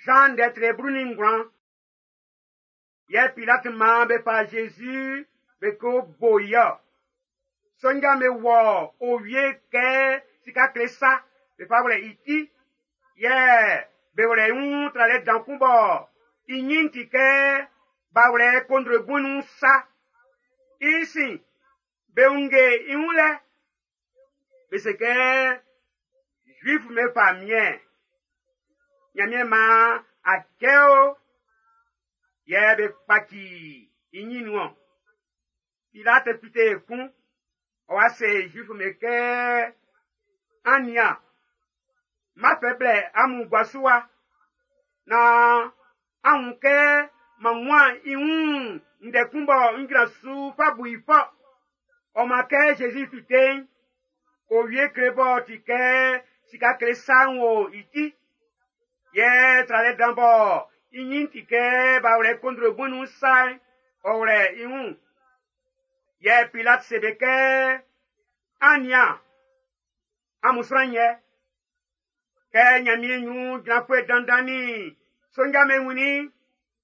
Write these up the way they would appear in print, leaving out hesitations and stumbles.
Zan ndɛ tre 19. Yɛ Pilati maan be fa Zezi be ko bo i ɔ. Sonja'm be wɔ owie kɛ sika kle sa be fa wlɛ i ti. Yɛ be wlɛ i wun tralɛ dan kun bɔ i ɲin ti kɛ b'a wlɛ kondrogun nun sa. I sin, be wunnge i wun lɛ. Be se kɛ Zuifu'm be famiɛn. Ɲanmiɛn maan a cɛ o. Yɛ be kpaci i ɲin nun ɔn. Pilati fite ekun. Ɔ wa se Zuifu'm be kɛ, an nian, n b'a fɛ blɛ amun gua su wa. Naan an wun kɛ m'an wunman i wun ndɛ kun bɔ n jran su fa bu i fɔ. Ɔ maan kɛ Zezi fite'n, owie kle b'ɔ ti kɛ sika kle sa'n wo i ti. Yɛ tralɛ dan bɔ i ɲin ti kɛ b'a wlɛ kondrogun nun sa'n, ɔ wlɛ i wun. Yɛ Pilati se be kɛ, an nian, amun sran yɛ. Kɛ Ɲanmiɛn ɲrun jranfuɛ dandan nin sonja'm be wunnin i'n,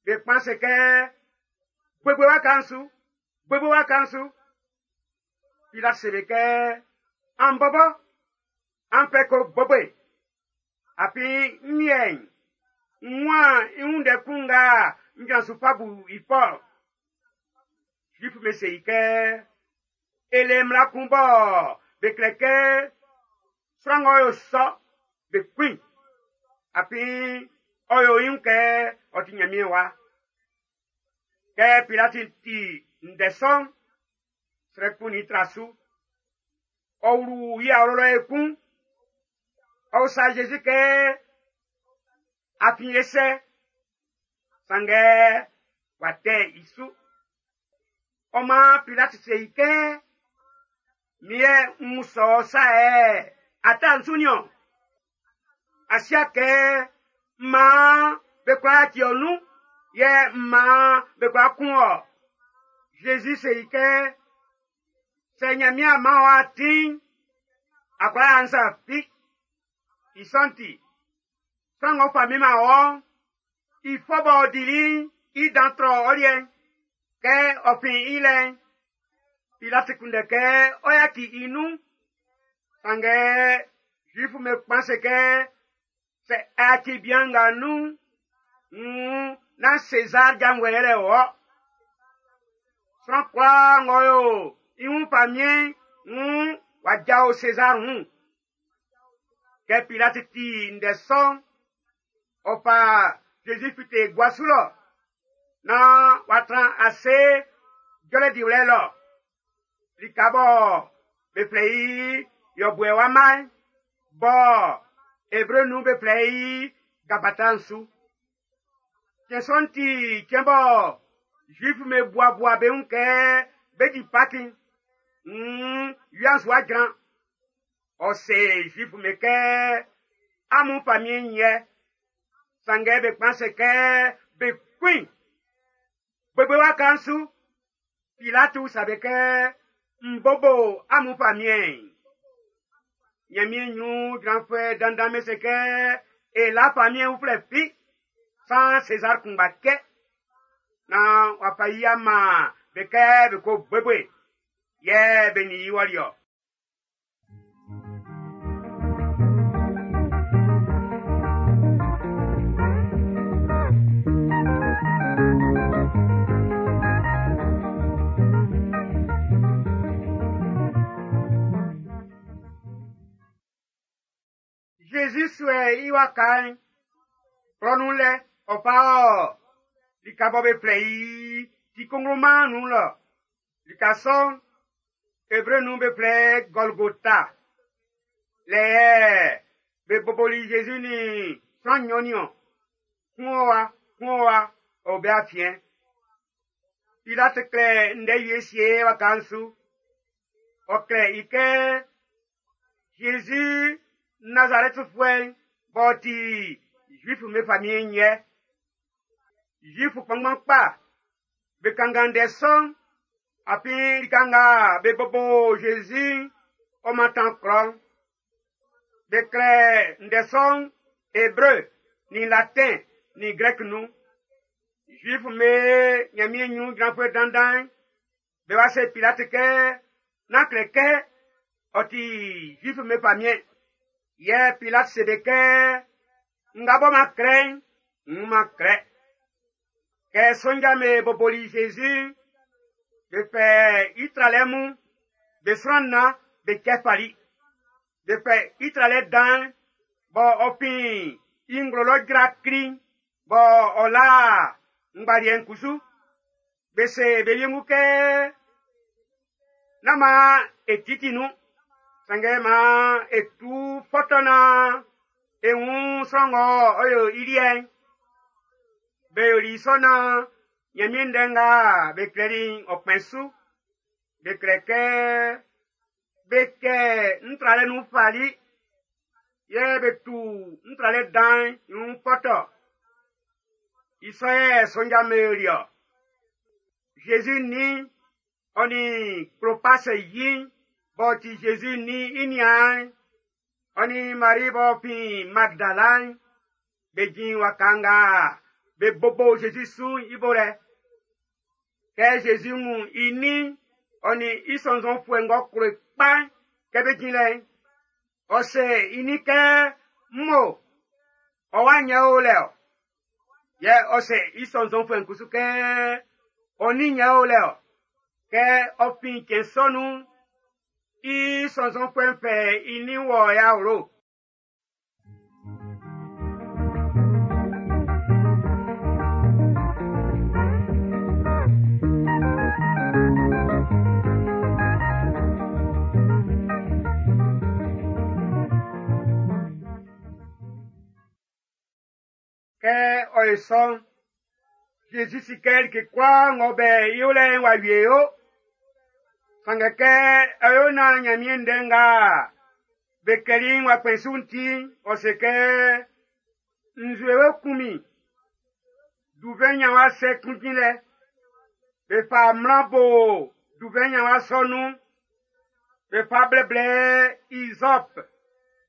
be kpan se kɛ, bobo i waka'n su, bobo i waka'n su. Pilati se be kɛ, an bɔbɔ, an fɛ ko bobo i. Afin n liɛ'n, n wunman i wun ndɛ kun nga n jran su fa bu i fɔ. Zuifu'm be se i kɛ, e le mmla kun bɔ be klɛ kɛ sran ng'ɔ yo sɔ, be kun i. Afin ɔ yo i wun kɛ ɔ ti Ɲanmiɛn wa. Kɛ Pilati ti ndɛ sɔ'n, srɛ kunnin i tra su. Ɔ wlu i awlo lɔ ekun. Ɔ usa Zezi kɛ, a fin e sɛ? Sanngɛ w'a tɛ i su. Ɔ maan Pilati se i kɛ, min yɛ n usa ɔ sa yɛ a ta n su niɔn. A sia kɛ maan be kwla yaci ɔ nun, yɛ maan be kwla kun ɔ. Zezi se i kɛ, sɛ Ɲanmiɛn a man ɔ atin'n, a kwla yo sa fi. I sɔ'n ti, sran ng'ɔ fa min man wɔ'n, i fɔ b'ɔ dili'n i dan trɔ ɔ liɛ'n. Kɛ ɔ fin i lɛ'n, Pilati kunndɛ kɛ ɔ yaci i nun. Sanngɛ Zuifu'm be kpan se kɛ, sɛ a yaci bian nga nun'n, nn nán Sezar janvuɛ yɛlɛ wɔ. Sran kwlaa ng'ɔ yo i wun famiɛn'n, nn w'a jao Sezar wun. Kɛ Pilati ti ndɛ sɔ'n, ɔ fa Zezi fite gua su lɔ, naan w'a tran ase jɔlɛ diwlɛ lɔ. Lika bɔ be flɛ i Yɔbuɛ wama'n, bɔ Ebre nun be flɛ i Gabata'n su. Cɛn sɔ'n ti cɛn bɔ Zuifu'm be buabua be wun kɛ be di Paki'n, nn wia'n su wa jran. Ɔ se Zuifu'm be kɛ, amun famiɛn'n yɛ. Sanngɛ be kpan se kɛ be kun i. Bobo i waka'n su. Pilati usa be kɛ, n bobo amun famiɛn'n. Ɲanmiɛn ɲrun jranfuɛ dandan'm be se kɛ, e la famiɛn uflɛ fi, san Sezar kunngba cɛ. Naan w'a fa i ama be kɛ be ko bobo i, yɛ be nin i wɔli ɔ. Zezi suɛ i waka'n, klɔ nun lɛ, ɔ fa ɔ lika bɔ be flɛ i ti kongloman'n nun lɔ. Lika sɔ'n, Ebre nun be flɛ Gɔlgota. Lɛ yɛ be boboli Zezi nin sran nɲɔn niɔn. Kun o wa, kun o wa, ɔ o be afiɛn. Pilati klɛ ndɛ wie sie waka'n su. Ɔ klɛ i kɛ Zezi Nazarɛtifuɛ'n b'ɔ ti Zuifu'm be famiɛn'n yɛ. Zuifu kpanngban kpa be kanngan ndɛ sɔ'n, afin lika nga be bobo Zezi'n ɔ mantan klɔ'n. Be klɛ ndɛ sɔ'n Ebre nin Latin nin Grɛki nun. Zuif'm be Ɲanmiɛn ɲrun jranfuɛ dandan'n, be wa se Pilati kɛ, nán klɛ kɛ ɔ ti Zuif'm be famiɛn. Yɛ Pilati se be kɛ, nga bɔ m'an klɛ'n, n m'an klɛ. Kɛ sonja'm be boboli Zezi, be fɛ i tralɛ mun, be sran nnan be cɛ fali. Be fɛ i tralɛ dan'n, bɔ ɔ fin i nglo lɔ jra kli, bɔ ɔ la ngbaliɛ'n kusu. Be se be wiengu kɛ, nán maan e titi nun, sanngɛ maan e tu fɔtɔ naan e wun sran ng'ɔ ɔ yo i liɛ'n. Be yoli sɔ naan Ɲanmiɛn ndɛ nga be klɛli'n ɔ kpɛn su. Be klɛ kɛ be kɛ n tralɛ nun fali, yɛ be tu n tralɛ dan'n i wun fɔtɔ. I sɔ yɛ sonja'm be yoli-ɔ. Zezi nin ɔ nin Klopas yi'n b'ɔ ti Zezi nin i niaan'n, ɔ nin Mari b'ɔ fin Magdala'n, be jin waka nga be bobo Zezi su'n i bo lɛ. Kɛ Zezi wun i nin ɔ nin i sɔnnzɔnfuɛ ng'ɔ klo i kpa'n kɛ be jin lɛ'n, ɔ se i nin kɛ, mmo, ɔ wa nyɛ o lɛ ɔ. Yɛ ɔ se i sɔnnzɔnfuɛ'n kusu kɛ, ɔ nin nyɛ o lɛ ɔ. Kɛ ɔ fin cɛn sɔ nun'n, i sɔnnzɔnfuɛ'n fɛ i nin wɔ i awlo. Kɛ ɔ ye sɔ'n, Zezi si kɛ like kwlaa ng'ɔ bɛ i yolɛ'n w'a wie o. Sanngɛ kɛ ɔ yo naan Ɲanmiɛn ndɛ nga be klɛli'n w'a kpɛn su'n ti'n, ɔ se kɛ, nzue we kun min, duvɛn ɲanwa sɛ kun jin lɛ. Be fa mlan bo duvɛn ɲanwa sɔ nun. Be fa blɛblɛ izɔp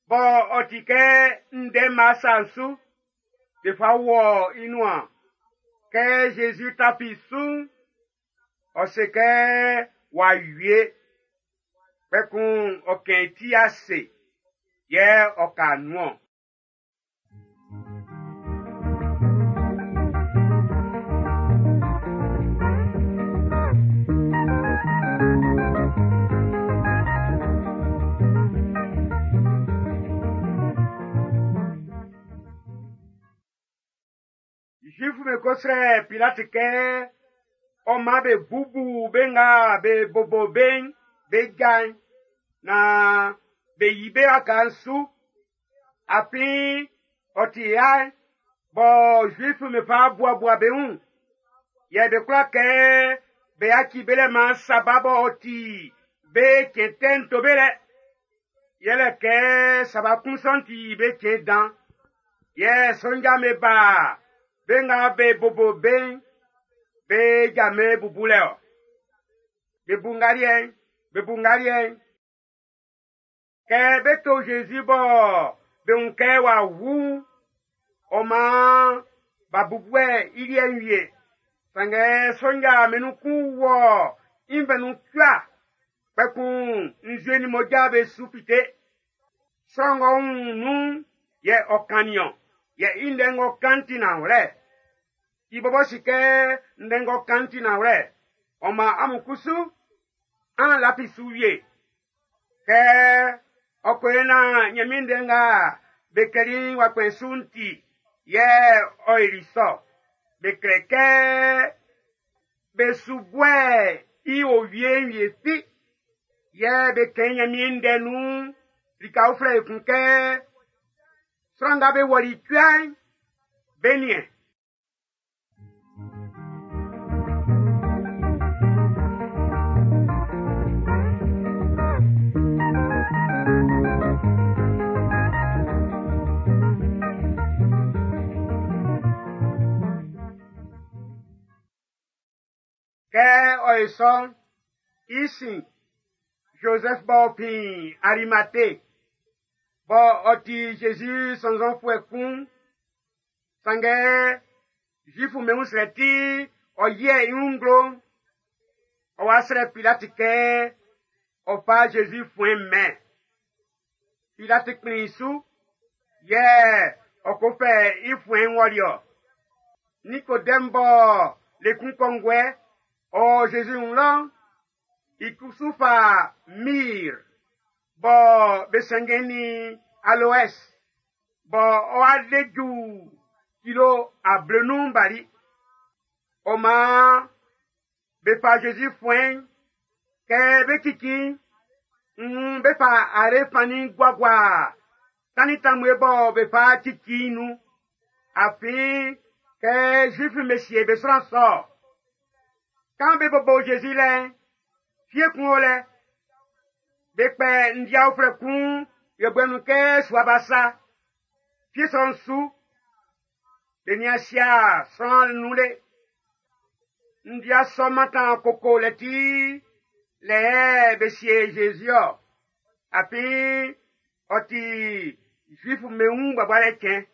bɔ ɔ ti kɛ ndɛma sa'n su. Be fa wɔ i nuan. Kɛ Zezi tafi su'n, ɔ se kɛ w'a wie. Kpɛkun ɔ kɛn i ti ase, yɛ ɔ ka nun-ɔn. Zuif'm be ko srɛ Pilati kɛ ɔ man be bubu be nga be bobo be'n be ja'n naan be yi be waka'n su. Afin ɔ ti ya bɔ Zuif'm be fa buabua be wun. Yɛ be kwla kɛ be yaci be lɛ man Saba b'ɔ ti be cɛn tɛ'n to be lɛ. Yɛlɛ kɛ Saba kun sɔ'n ti be cɛn dan. Yɛ sonja'm be ba be nga be bobo be'n, be ja'm be bubulɛ-ɔ. Be bu ngaliɛ'n, be bu ngaliɛ'n. Kɛ be to Zezi bɔ be wun kɛ w'a wu'n, ɔ maan b'a bubuɛ i liɛ'n wie. Sanngɛ sonja be nun kun wɔ i nvɛn nun cua, kpɛkun nzue nin mmoja be su fite. Sran ng'ɔ wun nun'n yɛ ɔ kannin-ɔn, yɛ i ndɛ ng'ɔ kan'n ti nanwlɛ. I bɔbɔ si kɛ ndɛ ng'ɔ kan'n ti nanwlɛ. Ɔ maan amun kusu, an lafi su wie. Kɛ ɔ ko yo naan Ɲanmiɛn ndɛ nga be klɛli'n w'a kpɛn su'n ti, yɛ ɔ yoli sɔ. Be klɛ kɛ be su buɛ i owie'n wie fi. Yɛ be kɛn Ɲanmiɛn ndɛ nun lika uflɛ ekun kɛ sran nga be wɔli cua'n, be niɛn. Kɛ ɔ ye sɔ'n, i sin, Joseph b'ɔ fin Arimate, bɔ ɔ ti Zezi sɔnnzɔnfuɛ kun, Sanngɛ Zuifu'm be wun srɛ ti ɔ yiɛ i wun nglo. Ɔ wa srɛ Pilati kɛ ɔ fa Zezi fuɛn'n mɛn. Pilati kplin su, yɛ ɔ ko fɛ i fuɛn'n wɔli ɔ. Nikodɛm bɔ le kun kɔnguɛ ɔ Zezi wun lɔ'n, i kusu fa mir bɔ be sɛnngɛn nin aloɛs bɔ ɔ'a de ju kilo ablenun bali. Ɔ maan be fa Zezi fuɛn'n kɛ be cici be fa are fannin guagua tannin tanmue bɔ be fa cici nun. Afin kɛ Zuifu'm be sie be sran sɔ. Kan be bobo Zezi lɛ'n, fie kun o lɛ. Be kpɛ ndia uflɛ kun yɔbuɛ nun kɛ sua ba sa. Fie sɔ'n su, be nian sia sran nun le. Ndia sɔ mantan koko lɛ ti lɛ be sie Zezi ɔ. Afin ɔ ti Zuifu'm be wun buabualɛ cɛn.